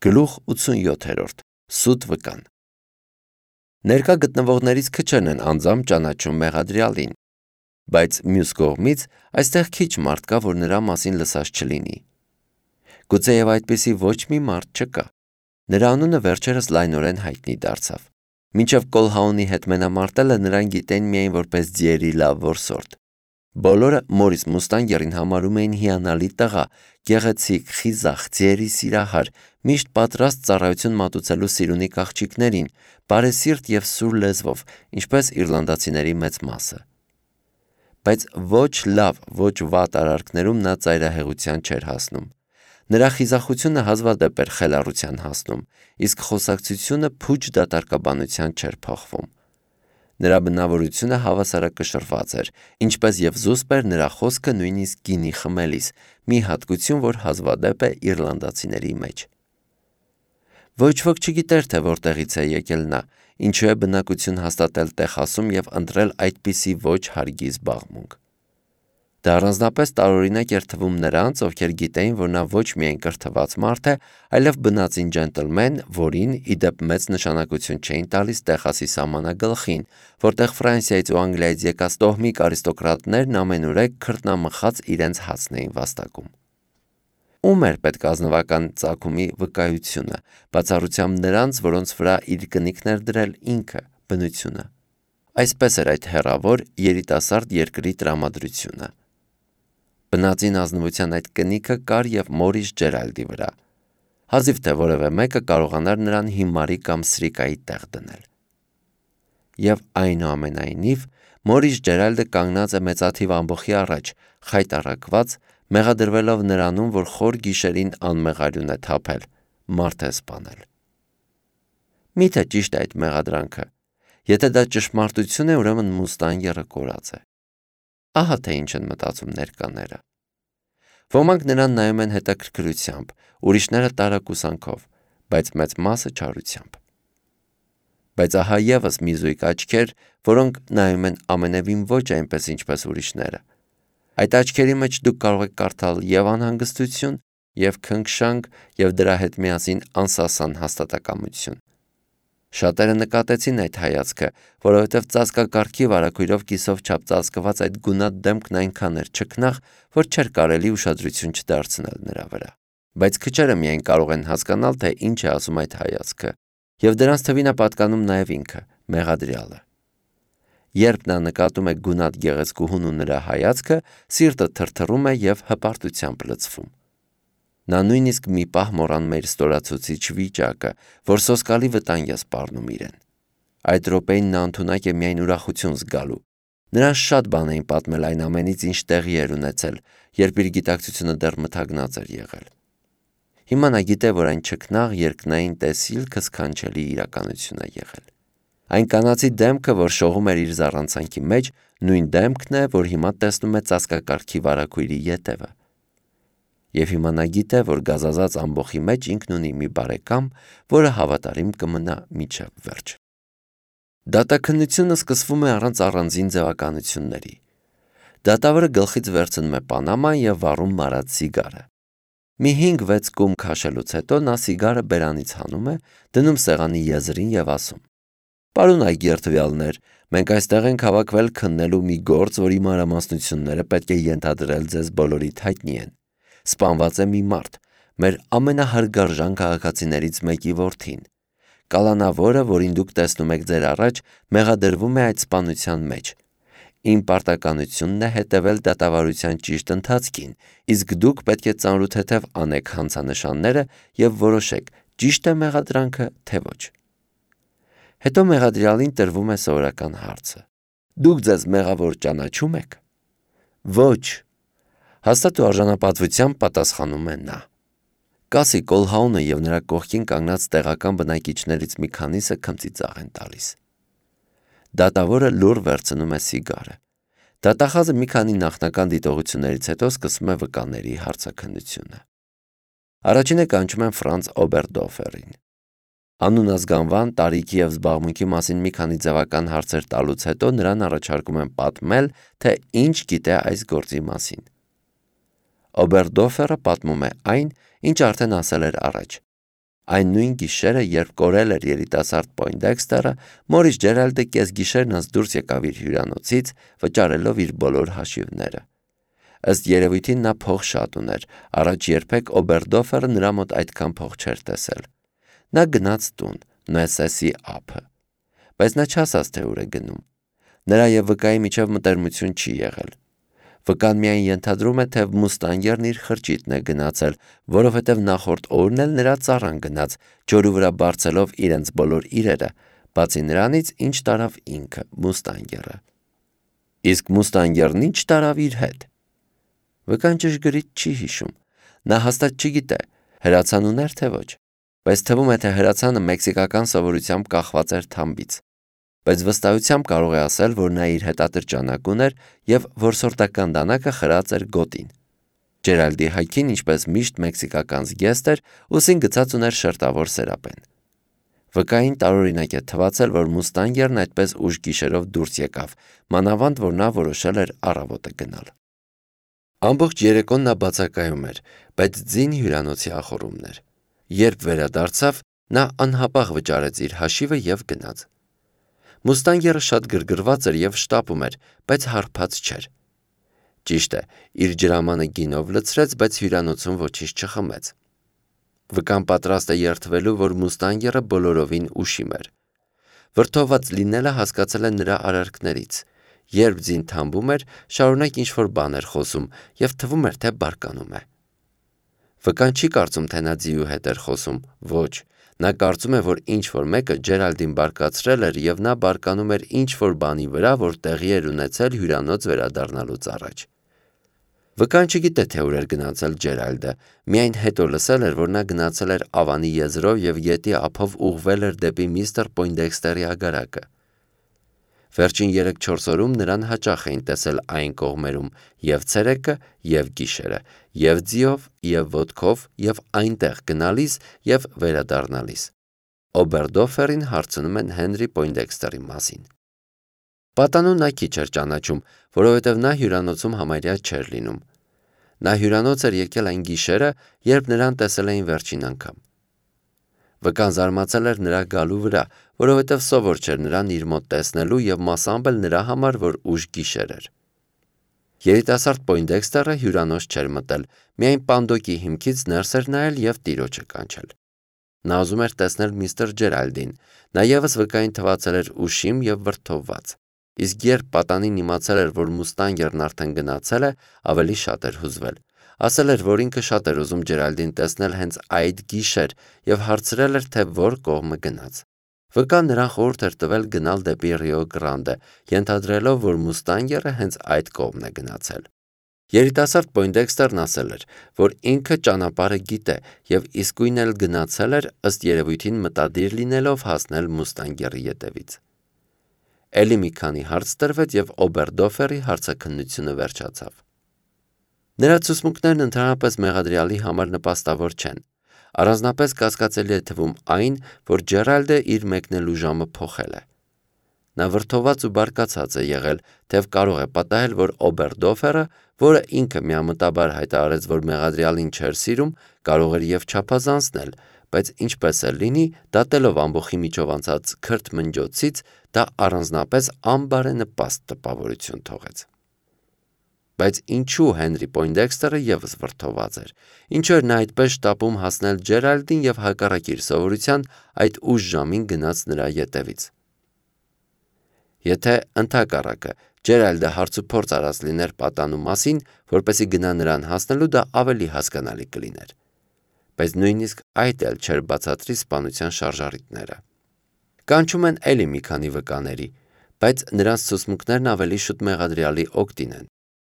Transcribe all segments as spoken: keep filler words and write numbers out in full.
Գլուխ ութսունյոթերորդ. Սուտ վկան։ Ներկա գտնվողներից քչերն են անձամբ ճանաչում մեղադրյալին, բայց մյուս կողմից այստեղ քիչ մարդ կա, որ նրա մասին լսած չլինի։ Գուցեև այդպիսի ոչ մի մարդ չկա։ Նրա անունը վերջերս լայնորեն հայտնի դարձավ։ Մինչև Կոլհաունի հետ մենամարտելը նրան գիտեն միայն որպես ձիերի լավ որսորդ։ Բոլորը Մորիս Մուստանգերին համարում էին հիանալի տղա, գեղեցիկ, խիզախ, ձիերի սիրահար, միշտ պատրաստ ծառայություն մատուցելու սիրունիկ աղջիկներին, բարեսիրտ և սուր լեզվով, ինչպես իռլանդացիների մեծ մասը։ Բայց ոչ լավ, ոչ վատ արարքներում նա ծայրահեղության չէր հասնում։ Նրա խիզախությունը հազվադեպ էր խելառության հասնում, իսկ խոսակցությունը փուչ դատարկաբանության չէր փոխվում։ Նրա բնավորությունը հավասարակշռված էր, ինչպես և զուսպ էր նրա խոսքը նույնիսկ գինի խմելիս, մի հատկություն, որ հազվադեպ է իռլանդացիների մեջ։ Ոչ ոք չգիտեր, թե որտեղից է եկել նա, ինչու է բնակություն հաստատել Տեխասում և ընտրել այդպիսի ոչ հարգի զբաղմունք։ Դա առանձնապես տարօրինակ էր թվում նրանց, ովքեր գիտեին, որ նա ոչ միայն կրթված մարդ է, այլև բնածին ջենտլմեն, որին, ի դեպ, մեծ նշանակություն չէին տալիս Տեխասի սահմանագլխին, որտեղ Ֆրանսիայից ու Անգլիայից եկած տոհմիկ արիստոկրատներն ամենուրեք քրտնամխած իրենց հացն էին վաստակում։ Ում էր պետք ազնվական ծագումի վկայությունը, բացառությամբ նրանց, որոնց վրա իր կնիքն էր դրել ինքը, բնությունը։ Այսպես էր այդ հեռավոր երիտասարդ երկրի տրամադրությունը։ Բնածին ազնվության այդ կնիքը կար և Մորիս Ջերալդի վրա։ Հազիվ թե որևէ մեկը կարողանար նրան հիմարի կամ սրիկայի տեղ դնել։ Եվ այնուամենայնիվ Մորիս Ջերալդը կանգնած է մեծաթիվ ամբոխի առաջ, խայտառակված, մեղադրվելով նրանում, որ խոր գիշերին անմեղ արյուն է թափել, մարդ է սպանել։ Միթե ճիշտ է այդ մեղադրանքը։ Եթե դա ճշմարտություն է, ուրեմն Մուստանգերը կորած է։ Ահա թե ինչ են մտածում ներկաները։ Ոմանք նրան նայում են հետաքրքրությամբ, ուրիշները տարակուսանքով, բայց մեծ մասը չարությամբ։ Բայց ահա ևս մի զույգ աչքեր, որոնք նայում են ամենևին ոչ այնպես, ինչպես ուրիշները։ Այդ աչքերի մեջ դուք կարող եք կարդալ և անհանգստություն, և քնքշանք, և դրա հետ միասին անսասան հաստատակամություն։ Շատերը նկատեցին այդ հայացքը, որովհետև ծածկակարգի վարագույրով կիսով չափ ծածկված այդ գունատ դեմքն այնքան էր չքնաղ, որ չէր կարելի ուշադրություն չդարձնել նրա վրա։ Բայց քչերը միայն կարող են հասկանալ, թե ինչ է ասում այդ հայացքը, և դրանց թվին է պատկանում նաև ինքը, մեղադրյալը։ Երբ նա նկատում է գունատ գեղեցկուհուն ու նրա հայացքը, սիրտը թրթռում է և հպարտությամբ լցվում։ Նա նույնիսկ մի պահ մոռանում է իր ստորացուցիչ վիճակը, որ սոսկալի վտանգ է սպառնում իրեն։ Այդ րոպեին նա ընդունակ է միայն ուրախություն զգալու։ Նրան շատ բան էին պատմել այն ամենից, ինչ տեղի էր ունեցել, երբ իր գիտակցությունը դեռ մթագնած էր եղել։ Հիմա նա գիտե, որ այն չքնաղ երկնային տեսիլքը սքանչելի իրականություն է եղել։ Այն կանացի դեմքը, որ շողում էր իր զառանցանքի մեջ, նույն դեմքն է, որ հիմա տեսնում է ծածկակարգի վարագույրի ետևը։ Եվ հիմա նա գիտե, որ գազազած ամբոխի մեջ ինքն ունի մի բարեկամ, որը հավատարիմ կմնա մինչև վերջ։ Դատաքննությունը սկսվում է առանց առանձին ձևականությունների։ Դատավորը գլխից վերցնում է պանաման և վառում մարած սիգարը։ Մի հինգ-վեց կում քաշելուց հետո նա սիգարը բերանից հանում է, դնում սեղանի եզրին և ասում. «Պարոն այգերդվյալներ, մենք այստեղ ենք հավաքվել քննելու մի գործ, որի մանրամասնությունները պետք է ենթադրել ձեզ բոլորիդ հայտնի են։ Սպանված է մի մարդ, մեր ամենահարգարժան քաղաքացիներից մեկի որդին։ Կալանավորը, որին դուք տեսնում եք ձեր առաջ, մեղադրվում է այդ սպանության մեջ։ Իմ պարտականությունն է հետևել դատավարության ճիշտ ընթացքին, իսկ դուք պետք է ծանրութեթև անեք հանցանշանները և որոշեք՝ ճիշտ է մեղադրանքը, թե ոչ»։ Հետո մեղադրյալին տրվում է սովորական հարցը. «Դուք ձեզ մեղավոր ճանաչո՞ւմ եք»։ «Ոչ», հաստատ ու արժանապատվությամբ պատասխանում է նա։ Կասի Կոլհաունը և նրա կողքին կանգնած տեղական բնակիչներից մի քանիսը քմծիծաղ են տալիս։ Դատավորը լուռ վերցնում է սիգարը։ Դատախազը մի քանի նախնական դիտողություններից հետո սկսում է վկաների հարցաքննությունը։ Առաջինը կանչում են Ֆրանց Օբերդոֆերին։ Անուն, ազգանվան, տարիքի և զբաղմունքի մասին մի քանի ձևական հարցեր տալուց հետո նրան առաջարկում են պատմել, թե ինչ գիտե այս գործի մասին։ Օբերդոֆերը պատմում է այն, ինչ արդեն ասել էր առաջ։ Այն նույն գիշերը, երբ կորել էր երիտասարդ Պոյնդեքստերը, Մորիս Ջերալդը կեսգիշերն անց դուրս եկավ իր հյուրանոցից, վճարելով իր բոլոր հաշիվները։ Ըստ երևույթին նա փող շատ ուներ, առաջ երբեք Օբերդոֆերը նրա մոտ այդքան փող չէր տեսել։ Նա գնաց տուն, Նոեսեսի ափը, բայց նա չասաց, թե ուր է գնում։ Նրա և վկայի միջև մտերմություն չի եղել։ Վկան միայն ենթադրում է, թե Մուստանգերն իր խրճիթն է գնացել, որովհետև նախորդ օրն էլ նրա ծառան գնաց, ջորու վրա բարձելով իրենց բոլոր իրերը, բացի նրանից, ինչ տարավ ինքը, Մուստանգերը։ Իսկ Մուստանգերն ինչ տարավ իր հետ։ Վկան ճշգրիտ չի հիշում։ Նա հաստատ չգիտե, հրացան ուներ թե ոչ, բայց թվում է, թե հրացանը մեքսիկական սովորությամբ կախված էր թամբից, բայց վստահությամբ կարող է ասել, որ նա իր հետատրճանակ ուներ և որսորդական դանակը խրած էր գոտին։ Ջերալդի հայքին, ինչպես միշտ մեքսիկական զգեստ էր, ուսին գցած ուներ շերտավոր սերապեն։ Վկային տարօրինակ է թվացել, որ Մուստանգերն այդպես ուշ գիշերով դուրս եկավ, մանավանդ որ նա որոշել էր առավոտը գնալ։ Ամբողջ երեկոն նա բացակայում էր, բայց ձին հյուրանոցի ախոռումն էր։ Երբ վերադարձավ, նա անհապաղ վճարեց իր հաշիվը և գնաց։ Մուստանգերը շատ գրգռված էր և շտապում էր, բայց հարբած չէր։ Ճիշտ է, իր ջրամանը գինով լցրեց, բայց հյուրանոցում ոչինչ չխմեց։ Վկան պատրաստ է երդվելու, որ Մուստանգերը բոլորովին ուշիմ էր։ Վրդոված լինելը հասկացել է նրա արարքներից։ Երբ ձին թամբում էր, շարունակ ինչ-որ բան էր խոսում և թվում էր, թե բարկանում է։ Վկան չի կարծում, թե նա ձիու հետ էր խոսում, ոչ, նա կարծում է, որ ինչ-որ մեկը Ջերալդին բարկացրել էր և նա բարկանում էր ինչ-որ բանի վրա, որ տեղի էր ունեցել հյուրանոց վերադառնալուց առաջ։ Վկան չգիտե, թե ուր էր գնացել Ջերալդը, միայն հետո լսել էր, որ նա գնացել էր Ավանի եզրով և գետի ափով ուղղվել էր դեպի միստր Պոյնդեքստերի ագարակը։ Վերջին երեք-չորս օրում նրան հաճախ էին տեսել այն կողմերում և ցերեկը, և գիշերը, և ձիով, և ոտքով, և այնտեղ գնալիս և վերադառնալիս։ Օբերդոֆերին հարցնում են Հենրի Պոյնդեքստերի մասին։ Պատանու նա քիչ էր ճանաչում, որովհետև նա հյուրանոցում համարյա չէր լինում։ Նա հյուրանոց էր եկել այն գիշերը, երբ նրան տեսել էին վերջին անգամ։ Վկան զարմացել էր նրա գալու վրա, որովհետև սովոր չէր նրան իր մոտ տեսնելու և մասամբ էլ նրա համար, որ ուշ գիշեր էր։ Երիտասարդ Պոյնդեքստերը հյուրանոց չէր մտել, միայն պանդոկի հիմքից ներս էր նայել և տիրոջը կանչել։ Նա ուզում էր տեսնել միստր Ջերալդին, նա ևս վկային թվացել էր ուշիմ և վրդովված։ Իսկ երբ պատանին իմացել էր, որ Մուստանգերն արդեն գնացել է, ավելի շատ էր հուզվել։ Ասել էր, որ ինքը շատ էր ուզում Ջերալդին տեսնել հենց այդ գիշեր և հարցրել էր, թե որ կողմը գնաց։ Վկան նրան խորհուրդ էր տվել գնալ դեպի Ռիո Գրանդե, ենթադրելով, որ Մուստանգերը հենց այդ կողմն է գնացել։ Երիտասարդ Պոյնդեքստերն ասել էր, որ ինքը ճանապարհը գիտե և իսկույն էլ գնացել էր, ըստ երևույթին մտադիր լինելով հասնել Մուստանգերի ետևից։ Էլի մի քանի հարց տրվեց և Օբերդոֆերի հարցաքննությունը վերջացավ։ Նրա ցուցմունքներն ընդհանրապես մեղադրյալի համար նպաստավոր չեն։ Առանձնապես կասկածելի է թվում այն, որ Ջերալդը իր մեկնելու ժամը փոխել է։ Նա վրդոված ու բարկացած է եղել, թեև կարող է պատահել, որ Օբերդոֆերը, որը ինքը միամտաբար հայտարարեց, որ մեղադրյալին չէր սիրում, կարող էր և չափազանցնել, բայց ինչպես էլ լինի, դատելով ամբոխի միջով անցած քրթմնջոցից, դա առանձնապես անբարենպաստ տպավորություն թողեց։ Բայց ինչու Հենրի Պոյնդեքստերը ևս վրդոված էր։ Ինչու էր նա այդպես շտապում հասնել Ջերալդին և հակառակ իր սովորության այդ ուշ ժամին գնաց նրա ետևից։ Եթե ընդհակառակը Ջերալդը հարցուփորձ արած լիներ պատանու մասին, որպեսզի գնա նրան հասնելու, դա ավելի հասկանալի կլիներ։ Բայց նույնիսկ այդ էլ չէր բացատրի սպանության շարժառիթները։ Կանչում են էլի մի քանի վկաների, բայց նրանց ցուցմունքներն ավելի շուտ մեղադրյալի օգտին են։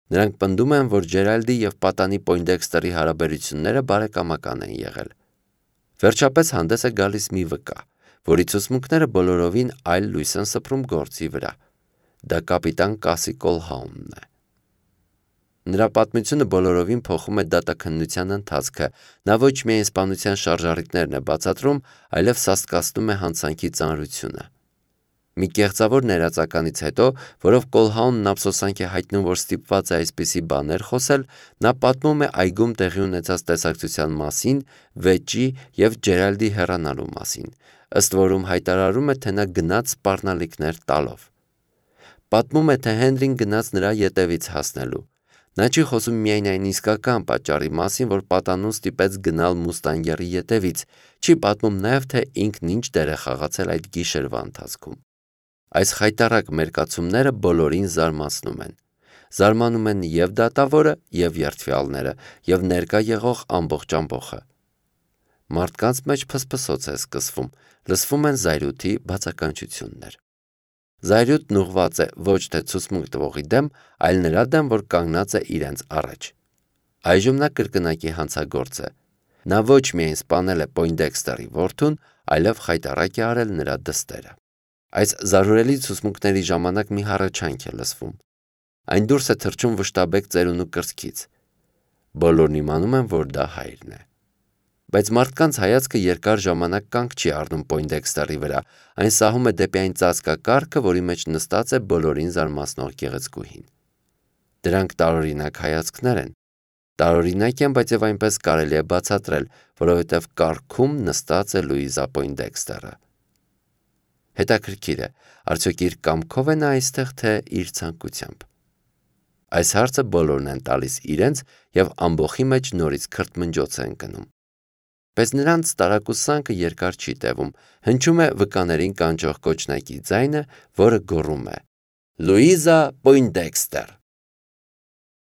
Նրանք պնդում են, որ Ջերալդի և պատանի Պոյնդեքստերի հարաբերությունները բարեկամական են եղել։ Վերջապես հանդես է գալիս մի վկա, որի ցուցմունքները բոլորովին այլ լույս են սփռում գործի վրա։ Դա կապիտան Կասի Կոլհաունն է։ Նրա պատմությունը բոլորովին փոխում է դատաքննության ընթացքը։ Նա ոչ միայն սպանության շարժառիթներն է բացատրում, այլև սաստկացնում է հանցանքի ծանրությունը։ Մի կեղծավոր ներածականից հետո, որով Կոլհաունն ափսոսանք է հայտնում, որ ստիպված է այսպիսի բաներ խոսել, նա պատմում է այգում տեղի ունեցած տեսակցության մասին, վեճի և Ջերալդի հեռանալու մասին, ըստ որում հայտարարում է, թե նա գնաց սպառնալիքներ տալով։ Պատմում է, թե Հենրին գնաց նրա ետևից հասնելու։ Նա չի խոսում միայն այն իսկական պատճառի մասին, որ պատանուն ստիպեց գնալ մուստանգերի ետևից, չի պատմում նաև, թե ինքն ինչ դեր է խաղացել այդ գիշերվա ընթացքում։ Այս խայտառակ մերկացումները բոլորին զարմացնում են։ Զարմանում են և դատավորը, և երդվյալները, և ներկա եղող ամբողջ ամբոխը։ Մարդկանց մեջ փսփսոց է սկսվում, լսվում են զայրույթի բացականչություններ։ Զայրույթն ուղղված է ոչ թե ցուցմունք տվողի դեմ, այլ նրա դեմ, որ կանգնած է իրենց առաջ։ Այժմ նա կրկնակի հանցագործ է։ Նա ոչ միայն սպանել է Պոյնդեքստերի որդուն, այլև խայտառակ է արել նրա դստերը։ Այս զարհուրելի ցուցմունքների ժամանակ մի հառաչանք է լսվում։ Այն դուրս է թռչում վշտաբեկ ծերունու կրծքից։ Բոլորն իմանում են, որ դա հայրն է։ Բայց մարդկանց հայացքը երկար ժամանակ կանգ չի առնում Պոյնդեքստերի վրա, այն սահում է դեպի այն ծածկակարգը, որի մեջ նստած է բոլորին զարմացնող գեղեցկուհին։ Դրանք տարօրինակ հայացքներ են։ Տարօրինակ են, բայց եւ այնպես կարելի է բացատրել, որովհետեւ կառքում նստած է Լուիզա Պոյնդեքստերը։ Հետաքրքիր է, արդյոք իր կամքով է նա այստեղ, թե իր ցանկությամբ։ Այս հարցը բոլորն են տալիս իրենց եւ ամբողի մեջ նորից քրթմնջոց են կնում։ Բայց նրանց տարակուսանքը երկար չի տևում, հնչում է վկաներին կանչող կոչնակի ձայնը, որը գոռում է. Լուիզա Պոյնդեքստեր։